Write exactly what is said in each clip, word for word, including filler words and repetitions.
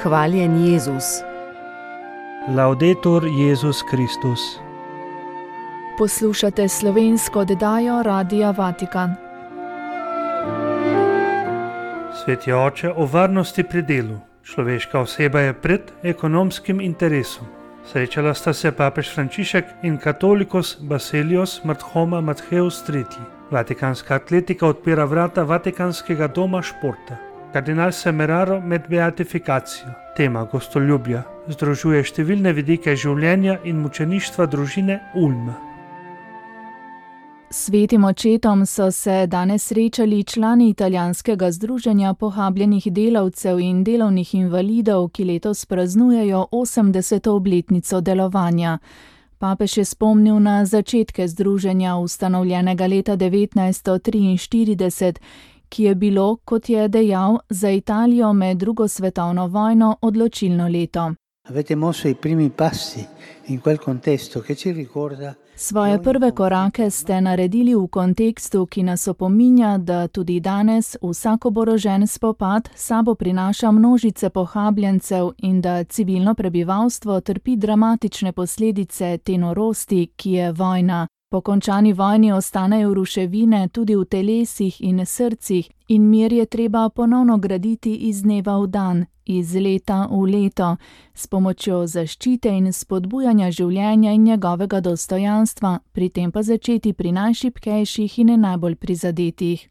Hvaljen Jezus. Laudetur Jezus Kristus. Poslušate slovensko oddajo Radia Vatikan. Sveti oče, o varnosti pri delu. Človeška oseba je pred ekonomskim interesom. Srečala sta se papež Frančišek in katolikus Basilios Marthoma Mattheus tretji. Vatikanska atletika odpira vrata Vatikanskega doma športa. Kardinal Semeraro med beatifikacijo. Tema gostoljubja združuje številne vidike življenja in mučeništva družine Ulma. Svetim očetom so se danes srečali člani italijanskega združenja pohabljenih delavcev in delovnih invalidov, ki letos praznujejo osemdeseto obletnico delovanja. Papež je spomnil na začetke združenja, ustanovljenega leta devetnajststo triinštirideset, ki je bilo, kot je dejal, za Italijo med drugo svetovno vojno odločilno leto. Avete mosso i primi passi in quel contesto che ci ricorda. Svoje prve korake ste naredili v kontekstu, ki nas opominja, da tudi danes vsak oborožen spopad sabo prinaša množice pohabljencev in da civilno prebivalstvo trpi dramatične posledice te norosti, ki je vojna. Po končani vojni ostanejo ruševine tudi v telesih in srcih in mir je treba ponovno graditi iz dneva v dan, iz leta v leto, s pomočjo zaščite in spodbujanja življenja in njegovega dostojanstva, pri tem pa začeti pri najšibkejših in najbolj prizadetih.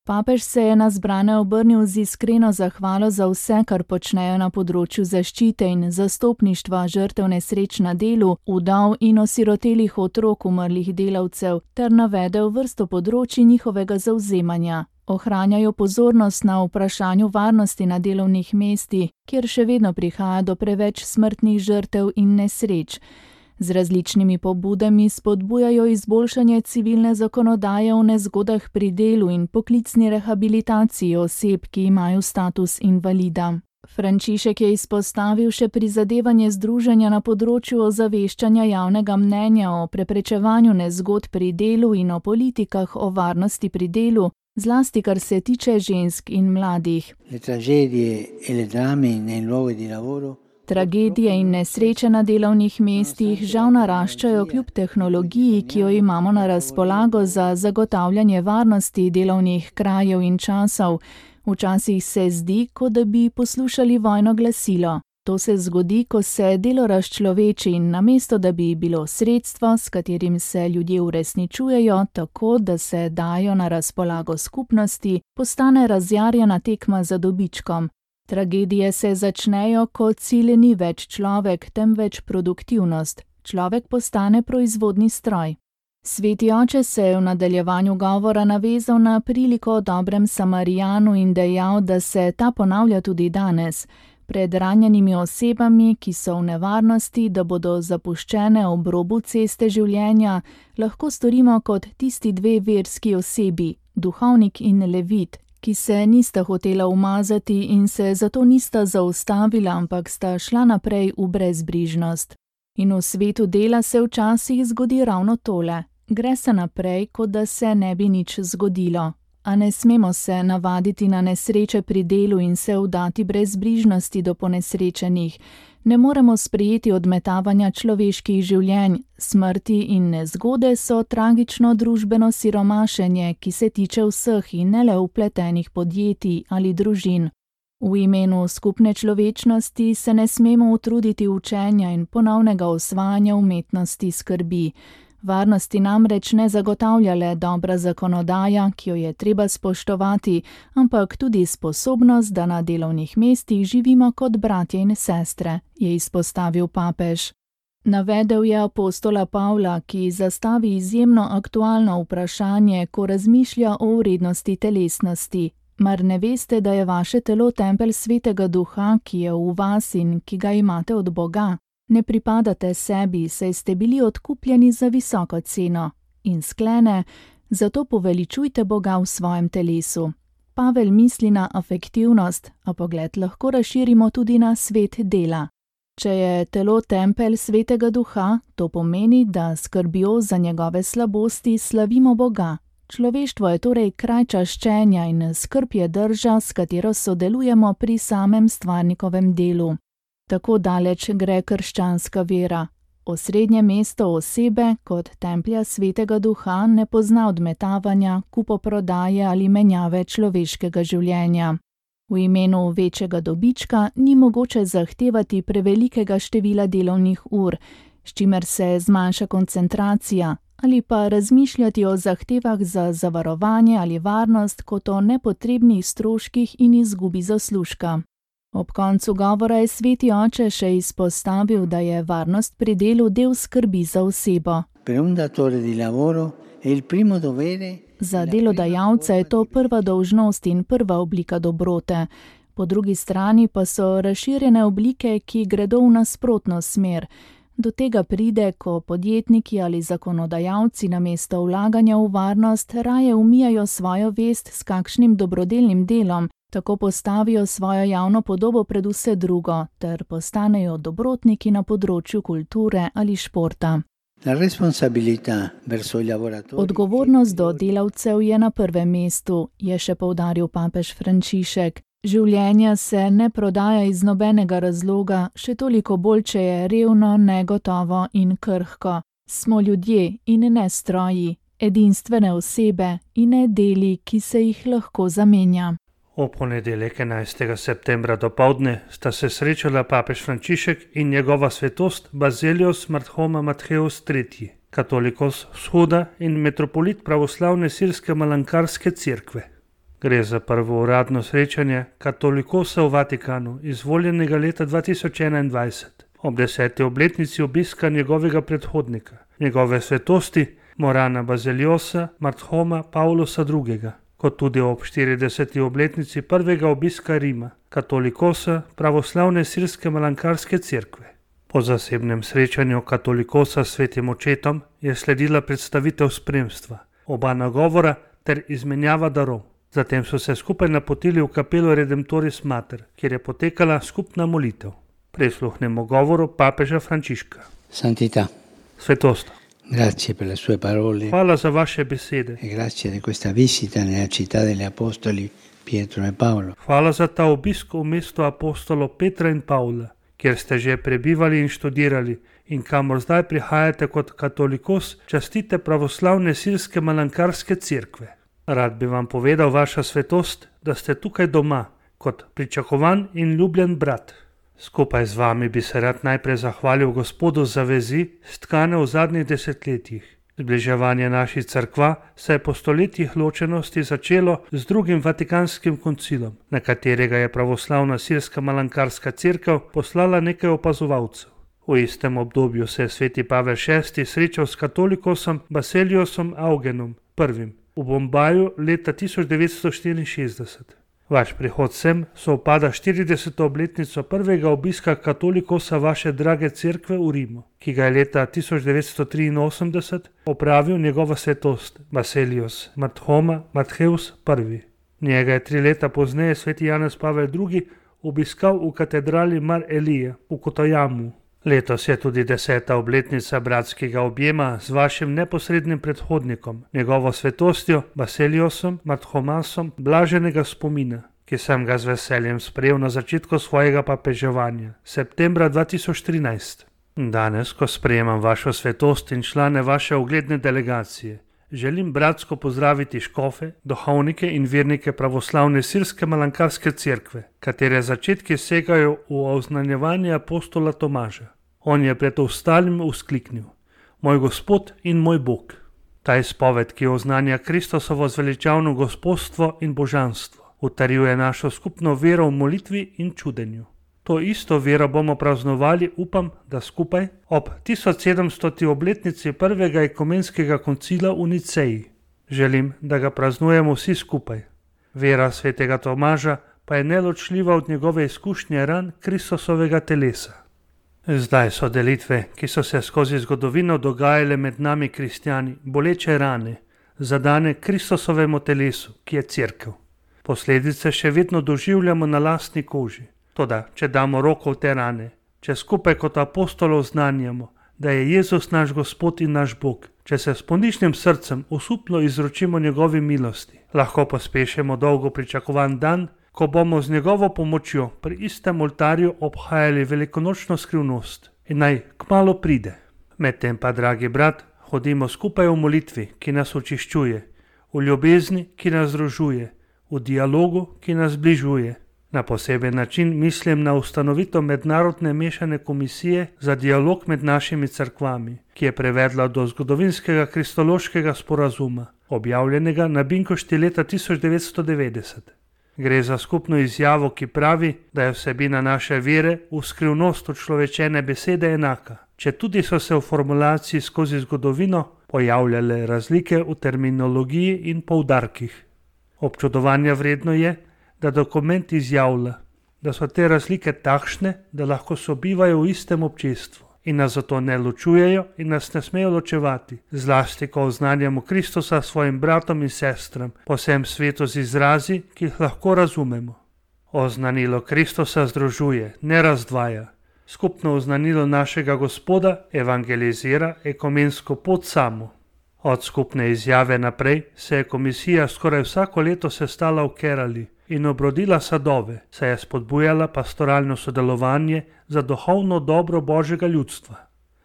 Papež se je na zbrane obrnil z iskreno zahvalo za vse, kar počnejo na področju zaščite in zastopništva žrtev nesreč na delu, vdov in osirotelih otrok umrlih delavcev, ter navedel vrsto področij njihovega zavzemanja. Ohranjajo pozornost na vprašanju varnosti na delovnih mestih, kjer še vedno prihaja do preveč smrtnih žrtev in nesreč. Z različnimi pobudami spodbujajo izboljšanje civilne zakonodaje o nezgodah pri delu in poklicni rehabilitaciji oseb, ki imajo status invalida. Frančišek je izpostavil še prizadevanje združenja na področju ozaveščanja javnega mnenja o preprečevanju nezgod pri delu in o politikah o varnosti pri delu, zlasti kar se tiče žensk in mladih. Le tragedie e le drame nei luoghi di lavoro. Tragedije in nesreče na delovnih mestih žal naraščajo kljub tehnologiji, ki jo imamo na razpolago za zagotavljanje varnosti delovnih krajev in časov. Včasih se zdi, kot da bi poslušali vojno glasilo. To se zgodi, ko se delo razčloveči in namesto, da bi bilo sredstvo, s katerim se ljudje uresničujejo, tako da se dajo na razpolago skupnosti, postane razjarjena tekma za dobičkom. Tragedije se začnejo, ko cilj ni več človek, temveč produktivnost. Človek postane proizvodni stroj. Sveti oče se je v nadaljevanju govora navezal na priliko o dobrem Samarijanu in dejal, da se ta ponavlja tudi danes. Pred ranjenimi osebami, ki so v nevarnosti, da bodo zapuščene ob robu ceste življenja, lahko storimo kot tisti dve verski osebi, duhovnik in levit, ki se nista hotela umazati in se zato nista zaustavila, ampak sta šla naprej v brezbrižnost. In v svetu dela se včasih zgodi ravno tole. Gre se naprej, kot da se ne bi nič zgodilo. A ne smemo se navaditi na nesreče pri delu in se vdati brezbrižnosti do ponesrečenih. Ne moremo sprejeti odmetavanja človeških življenj. Smrti in nezgode so tragično družbeno siromašenje, ki se tiče vseh in ne le vpletenih podjetij ali družin. V imenu skupne človečnosti se ne smemo utruditi učenja in ponovnega osvajanja umetnosti skrbi. Varnosti namreč ne zagotavlja le dobra zakonodaja, ki jo je treba spoštovati, ampak tudi sposobnost, da na delovnih mestih živimo kot bratje in sestre, je izpostavil papež. Navedel je apostola Pavla, ki zastavi izjemno aktualno vprašanje, ko razmišlja o vrednosti telesnosti. Mar ne veste, da je vaše telo tempelj Svetega Duha, ki je v vas in ki ga imate od Boga? Ne pripadate sebi, saj ste bili odkupljeni za visoko ceno. In sklene, zato poveličujte Boga v svojem telesu. Pavel misli na afektivnost, a pogled lahko razširimo tudi na svet dela. Če je telo tempelj Svetega Duha, to pomeni, da skrbjo za njegove slabosti slavimo Boga. Človeštvo je torej kraj čaščenja in skrb je drža, s katero sodelujemo pri samem stvarnikovem delu. Tako daleč gre krščanska vera. Osrednje mesto osebe kot templja svetega duha ne pozna odmetavanja, kupoprodaje ali menjave človeškega življenja. V imenu večjega dobička ni mogoče zahtevati prevelikega števila delovnih ur, s čimer se zmanjša koncentracija, ali pa razmišljati o zahtevah za zavarovanje ali varnost kot o nepotrebnih stroških in izgubi zaslužka. Ob koncu govora je sveti oče še izpostavil, da je varnost pri delu del skrbi za osebo. Za delodajalca je to prva dolžnost in prva oblika dobrote. Po drugi strani pa so razširjene oblike, ki gredo v nasprotno smer. Do tega pride, ko podjetniki ali zakonodajalci namesto vlaganja v varnost raje umijajo svojo vest s kakšnim dobrodelnim delom, tako postavijo svojo javno podobo pred vse drugo, ter postanejo dobrotniki na področju kulture ali športa. Odgovornost do delavcev je na prvem mestu, je še poudaril papež Frančišek. Življenje se ne prodaja iz nobenega razloga, še toliko bolj, če je revno, negotovo in krhko. Smo ljudje in ne stroji, edinstvene osebe in ne deli, ki se jih lahko zamenja. V ponedeljek enajstega septembra dopoldne sta se srečala papež Frančišek in njegova svetost Bazelios Marthoma Mattheus tretji, katolikos vzhoda in metropolit pravoslavne sirske malankarske cerkve. Gre za prvo uradno srečanje katolikosa v Vatikanu, izvoljenega leta dva tisoč enaindvajset, ob deseti obletnici obiska njegovega predhodnika, njegove svetosti Morana Bazeliosa Marthoma Pavlosa drugega, kot tudi ob štirideseti obletnici prvega obiska Rima, katolikosa pravoslavne sirske malankarske cerkve. Po zasebnem srečanju katolikosa s svetim očetom je sledila predstavitev spremstva, oba nagovora ter izmenjava darov. Zatem so se skupaj napotili v kapelo Redemptoris Mater, kjer je potekala skupna molitev. Prisluhnemo govoru papeža Frančiška. Santità. Svetost. Grazie per le sue parole. Hvala za vaše besede. E grazie di questa visita nella città degli apostoli Pietro e Paolo. Hvala za ta obisk v mestu apostolov Petra in Pavla, kjer ste že prebivali in študirali in kamor zdaj prihajate kot katolikos častite pravoslavne sirske malankarske cerkve. Rad bi vam povedal, vaša svetost, da ste tukaj doma, kot pričakovan in ljubljen brat. Skupaj z vami bi se rad najprej zahvalil Gospodu za vezi, stkane v zadnjih desetletjih. Zbliževanje naših cerkva se je po stoletjih ločenosti začelo z drugim Vatikanskim koncilom, na katerega je pravoslavna sirska malankarska cerkev poslala nekaj opazovalcev. V istem obdobju se je sveti Pavel šesti srečal s katolikosom Baseliosom Augenom prvim v Bombaju leta tisoč devetsto štiriinšestdeset. Vaš prihod sem sovpada štirideseto obletnico prvega obiska katolikosa vaše drage cerkve v Rimu, ki ga je leta tisoč devetsto triinosemdeset opravil njegova svetost Baselios Marthoma Mattheus prvi. Njega je tri leta pozneje sveti Janez Pavel drugi obiskal v katedrali Mar Elije v Kotojamu. Letos je tudi deseta obletnica bratskega objema z vašim neposrednim predhodnikom, njegovo svetostjo Baseliosom Marthomasom blaženega spomina, ki sem ga z veseljem sprejel na začetku svojega papeževanja, septembra dva tisoč trinajst. Danes, ko sprejemam vašo svetost in člane vaše ugledne delegacije, želim bratsko pozdraviti škofe, duhovnike in vernike pravoslavne sirske malankarske cerkve, katere začetki segajo v oznanjevanje apostola Tomaža. On je pred ostalim vzkliknil: Moj Gospod in moj Bog. Ta izpoved, ki oznanja Kristosovo zveličavno gospodstvo in božanstvo, utrjuje našo skupno vero v molitvi in čudenju. To isto vero bomo praznovali, upam, da skupaj, ob tisoč sedemstoti obletnici prvega ekumenskega koncila v Niceji. Želim, da ga praznujemo vsi skupaj. Vera svetega Tomaža pa je neločljiva od njegove izkušnje ran Kristosovega telesa. Zdaj so delitve, ki so se skozi zgodovino dogajale med nami kristjani, boleče rane, zadane Kristosovemu telesu, ki je cerkev. Posledice še vedno doživljamo na lastni koži. Toda, če damo roko v te rane, če skupaj kot apostolov znanjamo, da je Jezus naš Gospod in naš Bog. Če se s ponižnim srcem osupno izročimo njegovi milosti, lahko pospešimo dolgo pričakovan dan, ko bomo z njegovo pomočjo pri istem oltarju obhajali velikonočno skrivnost in naj kmalu pride. Medtem pa, dragi brat, hodimo skupaj v molitvi, ki nas očiščuje, v ljubezni, ki nas združuje, v dialogu, ki nas zbližuje. Na poseben način mislim na ustanovitev mednarodne mešane komisije za dialog med našimi cerkvami, ki je prevedla do zgodovinskega kristološkega sporazuma, objavljenega na Binkošti leta tisoč devetsto devetdeset. Gre za skupno izjavo, ki pravi, da je vsebina naše vere v skrivnost učlovečene besede enaka, če tudi so se v formulaciji skozi zgodovino pojavljale razlike v terminologiji in poudarkih. Občudovanja vredno je, da dokument izjavlja, da so te razlike takšne, da lahko sobivajo v istem občestvu in nas zato ne ločujejo in nas ne smejo ločevati, zlasti ko oznanjamo Kristusa svojim bratom in sestram po vsem svetu z izrazi, ki jih lahko razumemo. Oznanilo Kristusa združuje, ne razdvaja. Skupno oznanilo našega Gospoda evangelizira ekumensko pot samo. Od skupne izjave naprej se je komisija skoraj vsako leto sestala v Kerali in obrodila sadove, saj je spodbujala pastoralno sodelovanje za duhovno dobro Božjega ljudstva.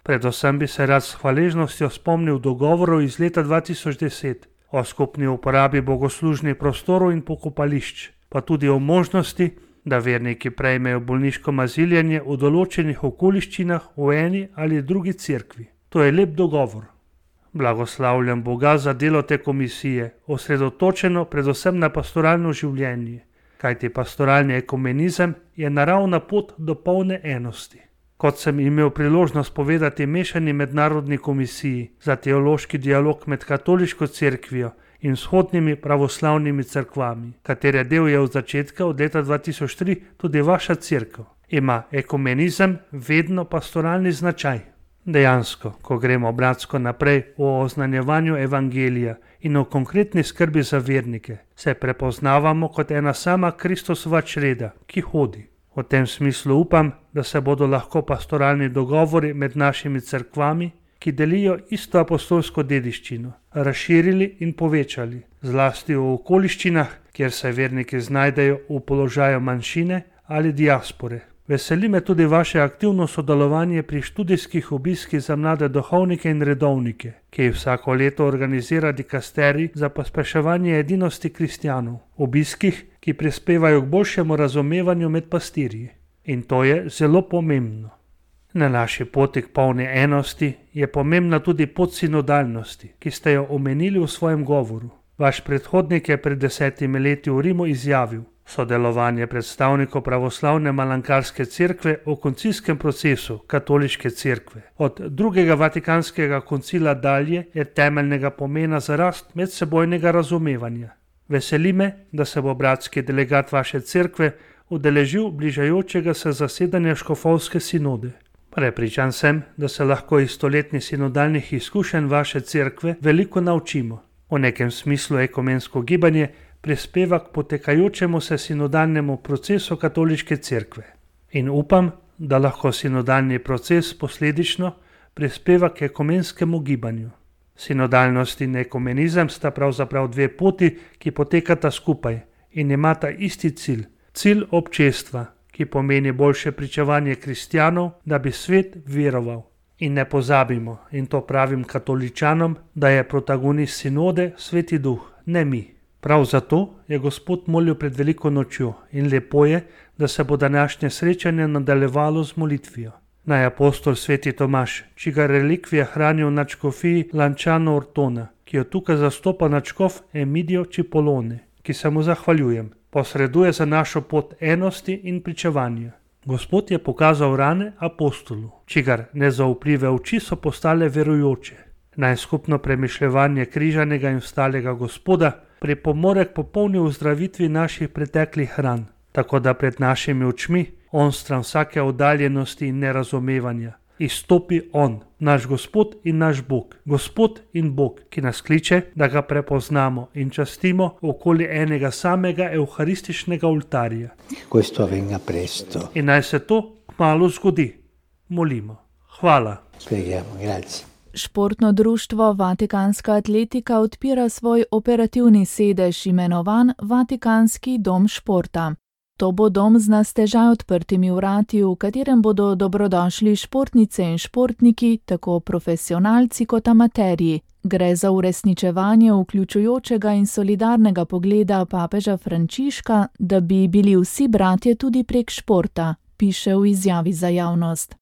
Predvsem bi se rad s hvaležnostjo spomnil dogovorov iz leta dva tisoč deset o skupni uporabi bogoslužnih prostorov in pokopališč, pa tudi o možnosti, da verniki prejmejo bolniško maziljenje v določenih okoliščinah v eni ali drugi cerkvi. To je lep dogovor. Blagoslavljam Boga za delo te komisije, osredotočeno predvsem na pastoralno življenje, kajti pastoralni ekumenizem je naravna pot do polne enosti. Kot sem imel priložnost povedati mešani mednarodni komisiji za teološki dialog med katoliško cerkvijo in vzhodnimi pravoslavnimi cerkvami, katere del je od začetka od leta dva tisoč tri tudi vaša cerkev, ima ekumenizem vedno pastoralni značaj. Dejansko, ko gremo bratsko naprej v oznanjevanju evangelija in o konkretni skrbi za vernike, se prepoznavamo kot ena sama Kristusova čreda, ki hodi. V tem smislu upam, da se bodo lahko pastoralni dogovori med našimi cerkvami, ki delijo isto apostolsko dediščino, razširili in povečali, zlasti v okoliščinah, kjer se verniki znajdejo v položaju manjšine ali diaspore. Veseli me tudi vaše aktivno sodelovanje pri študijskih obiskih za mlade duhovnike in redovnike, ki jih vsako leto organizira dikasterij za pospeševanje edinosti kristjanov, obiskih, ki prispevajo k boljšemu razumevanju med pastirji. In to je zelo pomembno. Na naši poti k polni enosti je pomembna tudi pot sinodalnosti, ki ste jo omenili v svojem govoru. Vaš predhodnik je pred desetimi leti v Rimu izjavil: sodelovanje predstavnikov pravoslavne malankarske cerkve v koncilskem procesu katoliške cerkve od drugega vatikanskega koncila dalje je temeljnega pomena za rast medsebojnega razumevanja. Veseli me, da se bo bratski delegat vaše cerkve udeležil bližajočega se zasedanja škofovske sinode. Prepričan sem, da se lahko iz stoletnih sinodalnih izkušenj vaše cerkve veliko naučimo. V nekem smislu ekumensko gibanje prispeva k potekajočemu se sinodalnemu procesu katoliške cerkve. In upam, da lahko sinodalni proces posledično prispeva k ekumenskemu gibanju. Sinodalnost in ekumenizem sta pravzaprav dve poti, ki potekata skupaj in imata isti cilj, cilj občestva, ki pomeni boljše pričevanje kristjanov, da bi svet veroval. In ne pozabimo, in to pravim katoličanom, da je protagonist sinode Sveti Duh, ne mi. Prav zato je Gospod molil pred veliko nočjo in lepo je, da se bo današnje srečanje nadaljevalo z molitvijo. Naj apostol Sveti Tomaž, čigar relikvije hranijo v nadškofiji Lanciano Ortona, ki jo tukaj zastopa nadškof Emidio Cipolone, ki se mu zahvaljujem, posreduje za našo pot enosti in pričevanja. Gospod je pokazal rane apostolu, čigar nezaupljive oči so postale verujoče. Naj skupno premišljevanje križanega in vstalega Gospoda pripomore k popolni ozdravitvi naših preteklih ran, tako da pred našimi očmi, onstran vsake oddaljenosti in nerazumevanja, izstopi On, naš Gospod in naš Bog, Gospod in Bog, ki nas kliče, da ga prepoznamo in častimo okoli enega samega evharističnega oltarja. Questo avvenga presto. In naj se to kmalu zgodi. Molimo. Hvala. Spieghiamo, grazie. Športno društvo Vatikanska atletika odpira svoj operativni sedež, imenovan Vatikanski dom športa. To bo dom z na stežaj odprtimi vrati, v katerem bodo dobrodošli športnice in športniki, tako profesionalci kot amaterji. Gre za uresničevanje vključujočega in solidarnega pogleda papeža Frančiška, da bi bili vsi bratje tudi prek športa, piše v izjavi za javnost.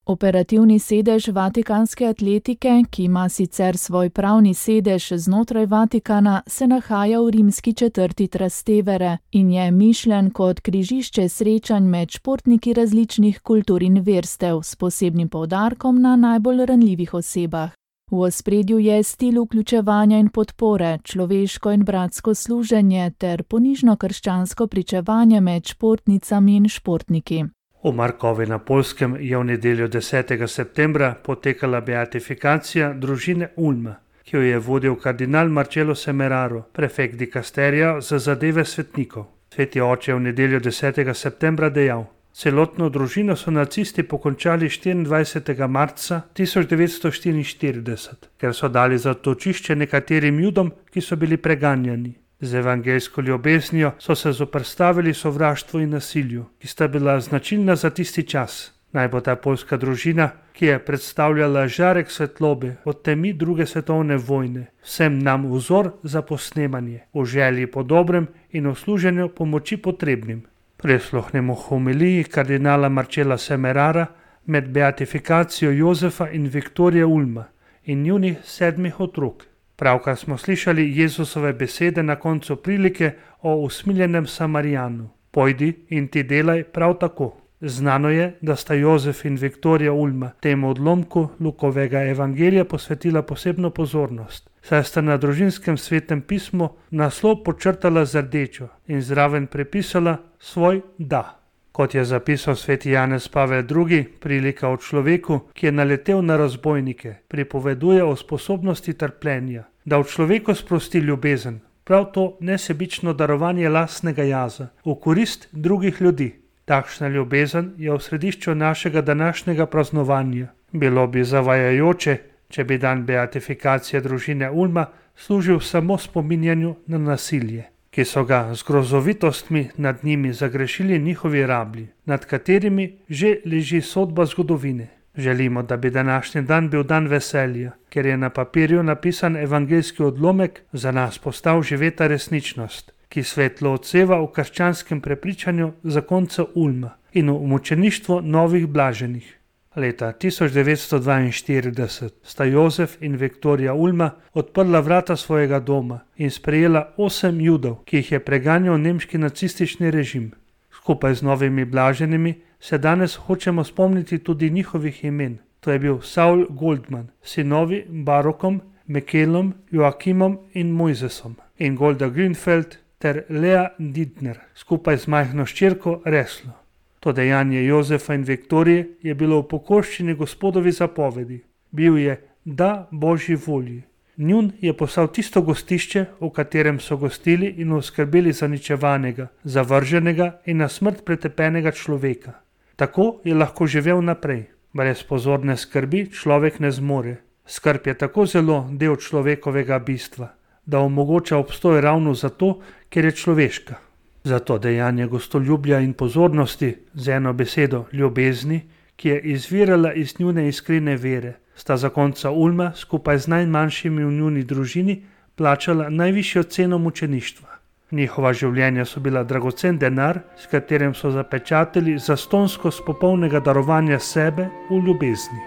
Operativni sedež Vatikanske atletike, ki ima sicer svoj pravni sedež znotraj Vatikana, se nahaja v rimski četrti Trastevere in je mišljen kot križišče srečanj med športniki različnih kultur in verstev, s posebnim poudarkom na najbolj ranljivih osebah. V ospredju je stil vključevanja in podpore, človeško in bratsko služenje ter ponižno krščansko pričevanje med športnicami in športniki. V Markovi na Poljskem je v nedeljo desetega septembra potekala beatifikacija družine Ulma, ki jo je vodil kardinal Marcello Semeraro, prefekt dikasterija za zadeve svetnikov. Sveti oče je v nedeljo desetega septembra dejal: celotno družino so nacisti pokončali štiriindvajsetega marca tisoč devetsto štiriinštirideset, ker so dali zatočišče nekaterim Judom, ki so bili preganjani. Z evangeljsko ljubeznijo so se zoperstavili sovraštvu in nasilju, ki sta bila značilna za tisti čas. Naj bo ta poljska družina, ki je predstavljala žarek svetlobe od temi druge svetovne vojne, vsem nam vzor za posnemanje, v želji po dobrem in v služenju pomoči potrebnim. Prisluhnemo homiliji kardinala Marcella Semerara med beatifikacijo Jozefa in Viktorije Ulma in njunih sedmih otrok. Pravkar smo slišali Jezusove besede na koncu prilike o usmiljenem Samarijanu. Pojdi in ti delaj prav tako. Znano je, da sta Jozef in Viktorija Ulma temu odlomku Lukovega evangelija posvetila posebno pozornost, saj sta na družinskem svetem pismu naslov počrtala z rdečo in zraven prepisala svoj da. Kot je zapisal sveti Janez Pavel drugi, prilika o človeku, ki je naletel na razbojnike, pripoveduje o sposobnosti trpljenja, da v človeku sprosti ljubezen, prav to nesebično darovanje lastnega jaza, v korist drugih ljudi. Takšna ljubezen je v središču našega današnjega praznovanja. Bilo bi zavajajoče, če bi dan beatifikacije družine Ulma služil samo spominjanju na nasilje, ki so ga z grozovitostmi nad njimi zagrešili njihovi rablji, nad katerimi že leži sodba zgodovine. Želimo, da bi današnji dan bil dan veselja, ker je na papirju napisan evangeljski odlomek, za nas postal živeta resničnost, ki svetlo odseva v krščanskem prepričanju zakonca Ulma in v mučeništvo novih blaženih. Leta tisoč devetsto dvainštirideset sta Jozef in Viktorija Ulma odprla vrata svojega doma in sprejela osem Judov, ki jih je preganjal nemški nacistični režim. Skupaj z novimi blaženimi se danes hočemo spomniti tudi njihovih imen. To je bil Saul Goldman, sinovi Barokom, Mekelom, Joakimom in Mojzesom in Golda Grünfeld ter Lea Didner, skupaj z majhno hčerko Reslo. To dejanje Jozefa in Viktorije je bilo v pokorščini Gospodovi zapovedi. Bil je da Božji volji. Njun je postal tisto gostišče, v katerem so gostili in oskrbeli zaničevanega, zavrženega in na smrt pretepenega človeka. Tako je lahko živel naprej. Brez pozorne skrbi človek ne zmore. Skrb je tako zelo del človekovega bistva, da omogoča obstoj ravno zato, ker je človeška. Zato dejanje gostoljubja in pozornosti, z eno besedo ljubezni, ki je izvirala iz njune iskrene vere, sta zakonca Ulma skupaj z najmanjšimi v njuni družini plačala najvišjo ceno mučeništva. Njihova življenja so bila dragocen denar, s katerim so zapečatili zastonskost popolnega darovanja sebe v ljubezni.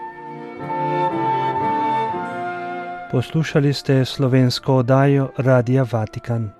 Poslušali ste slovensko oddajo Radia Vatikan.